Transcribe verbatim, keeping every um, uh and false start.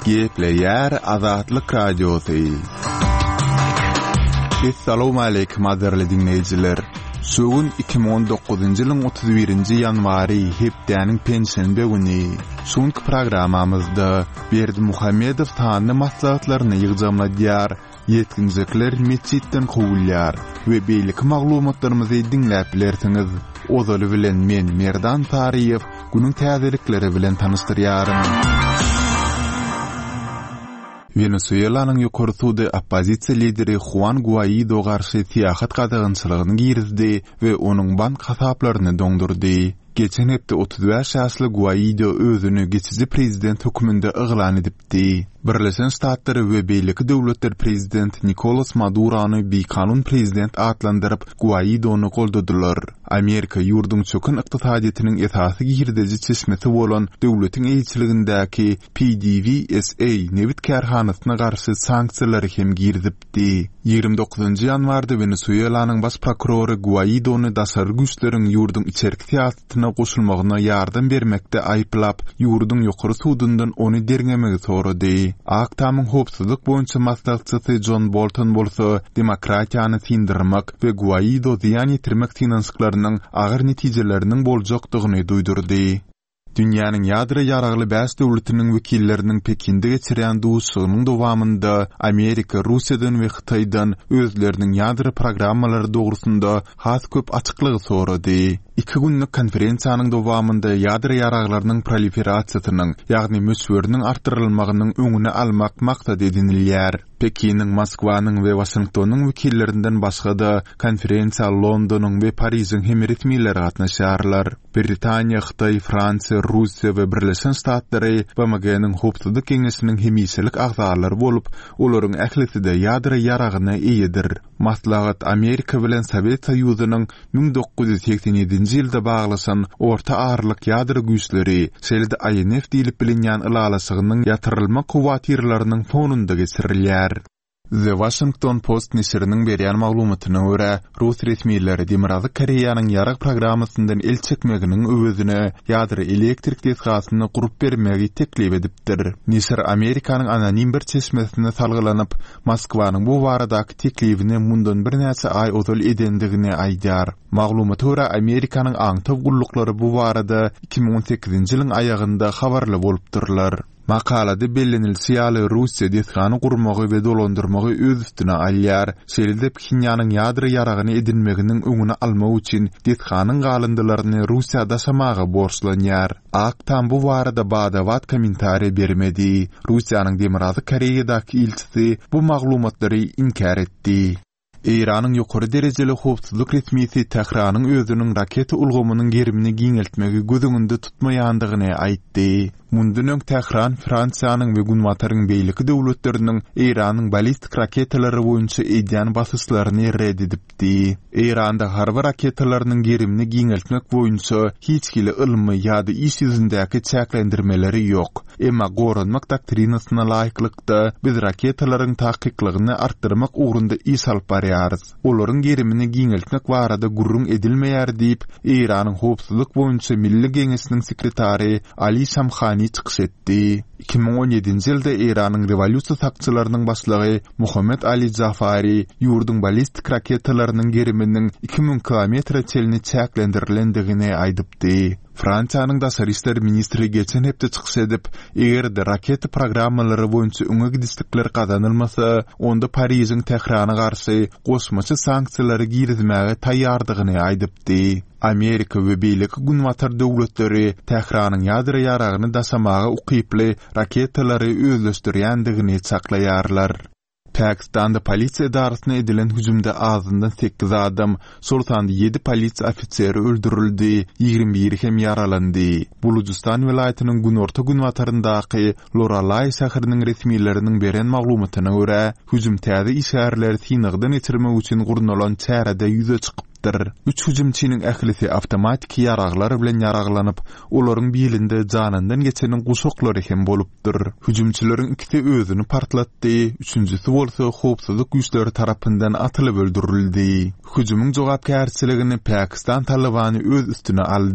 Gepleýär Azatlyk Radiosy. Essalawmaleýkim gadyrly diňleýjiler! Şu gün iki müň on dokuzynjy ýylyň otuz birinji ýanwary, hepdäniň penşenbe güni. Şu günki programmamyzda Berdimuhamedow sanly maslahatlaryny ýygjamladýar, ýetginjekler metjitden kowulýar we beýleki maglumatlarymyzy diňläp bilersiňiz. Ozaly bilen men Merdan Saryýew günüň täzelikleri bilen tanyşdyrýaryn. Wenesuelanyň ýokary sudy oppozisiýa lideri Huan Guaido garşy syýahat gadagançylygyny girizdi we onuň bank hasaplaryny doňdurdy. Geçen hepde otuz bäş ýaşly Guaido özüni geçiji prezident hökmünde yglan edipdi. Birleşen Ştatlary we beýleki döwletler prezident Nikolas Madurony bikanun prezident atlandyryp, Guaidony goldadylar. Amerika ýurduň çöken ykdysadyýetiniň esasy girdeji çeşmesi bolan döwletiň eýeçiligindäki P D V S A nebit kärhanasyna garşy sanksiýalary hem girizipdi. Ýigrimi dokuzynjy ýanwarda Wenesuelanyň baş prokurory Guaidony daşary güýçleriň ýurduň içerki syýasatyna goşulmagyna ýardam bermekde aýyplap, ýurduň ýokary sudundan ony derňemegi sorady. Ak Tamyň howpsuzlyk boýunça maslahatçysy John Bolton bolsa demokratiýany syndyrmak we Guaido zyýan ýetirmek synanyşyklarynyň agyr netijeleriniň boljakdygyny duýdurdy. Dünýäniň ýadro ýaragly bäş döwletiniň wekilleriniň Pekinde geçirýän duşuşygynyň dowamynda Amerika, Russiýadan we Hytaýdan özleriniň ýadro programmalary dogrusynda has köp açyklygy sorady. Iki günlük konferensiýanyň dowamynda ýadro ýaraglarynyň proliferasiýasynyň, ýagny möçberiniň artdyrylmagynyň öňüni almak maksat edinilýär. Pekiniň, Moskwanyň we Waşingtonyň wekillerinden başga-da konferensiýa Londonyň we Parižiň hem resmileri gatnaşýarlar. Britaniýa, Hytaý, Fransiýa, Russiýa we Birleşen Ştatlary B M G-niň Howpsuzlyk Geňeşiniň hemişelik agzalary bolup, olaryň ählisi-de ýadro ýaragyna eýedir. Maslahat Amerika bilen Sowet Soýuzynyň müň dokuz ýüz segsen ýedinji ýylda baglaşan orta aralyk ýadro güýçleri, şeýle-de I N F diýlip bilinýän ylalaşygynyň ýatyrylmak howatyrlarynyň fonunda geçirilýär. The Washington Post neşiriniň berýän maglumatyna görä, Rus resmileri Demirgazyk Koreýanyň ýarag programmasyndan el çekmeginiň öwezine ýadro elektrik desgasyny gurup bermegi teklip edipdir. Neşir Amerikanyň anonim bir çeşmesine salgylanyp, Moskwanyň bu baradaky teklibini mundan birnäçe aý ozal edendigini aýdýar. Maglumata görä, Amerikanyň aňtaw gulluklary bu barada iki müň on sekizinji ýylyň aýagynda habarly bolupdyrlar. Makalada bellenilişi ýaly, Russiýa desgany gurmagy we dolandyrmagy öz üstüne alýar. Şeýle-de Phenýanyň ýadro ýaragyny edinmeginiň öňüni almak üçin desganyň galyndylaryny Russiýa daşamaga borçlanýar. Ak Tam bu barada bada-bat kommentariýa bermedi. Russiýanyň Demirgazyk Koreýadaky ilçisi bu maglumatlary inkär etdi. Eýranyň ýokary derejeli howpsuzlyk resmisi Tähranyň özüniň raketa ulgamynyň gerimini giňeltmegi göz öňünde tutmaýandygyny aýtdy. Mundan öň Tähran Fransiýanyň we Günbataryň beýleki döwletleriniň Eýranyň ballistik raketalary boýunça edýän basyşlaryny red edipdi. Eýranda harby raketalarynyň gerimini giňeltmek boýunça hiç hili ylmy ýa-da iş ýüzündäki çäklendirmeleri ýok. Emma goranmak doktrinasyna laýyklykda biz raketalaryň takyklygyny artdyrmak ugrunda iş alyp barýarys. Olaryň gerimini giňeltmek barada gürrüň edilmeýär diýip, Eýranyň howpsuzlyk boýunça Milli Geňeşiniň sekretary Ali Şamhani çykyş etdi. iki müň on ýedinji ýylda Eýranyň rewolýusiýa sakçylarynyň başlygy Muhammed Ali Jafari ýurduň ballistik raketalarynyň geriminiň iki müň kilometre çenli çäklendirilendigini aýdypdy. Fransiýanyň daşary işler ministri geçen hepde çykyş edip, eger-de raketa programmalary boýunça öňe gidişlikler gazanylmasa, onda Parižiň Tährana garşy goşmaça sanksiýalary girizmäge taýýardygyny aýdypdy. Amerika we beýleki günbatar döwletleri Tähranyň ýadro ýaragyny daşamaga ukyply raketalary özleşdirýändigini çaklaýarlar. Pakistanda polisiýa edarasyna edilen hüjümde azyndan sekiz adam, şol sanda ýedi polisiýa ofiseri öldürildi, ýigrimi biri hem ýaralandy. Bulujistan welaýatynyň günorta-günbataryndaky Loralai şäheriniň resmileriniň beren maglumatyna görä, hüjüm täze işgärleri synagdan geçirmek üçin gurnalan çärede ýüze çykypdyr. Üç hüjümçiniň ählisi awtomatiki ýaraglar bilen ýaraglanyp, olaryň birinde janyndan geçeniň guşaklary hem bolupdyr. Hüjümçileriň ikisi özüni partlatdy, üçünjisi bolsa howpsuzlyk güýçleri tarapyndan atylyp öldürildi. Hüjümiň jogapkärçiligini Pakistan Talibany öz üstüne aldy.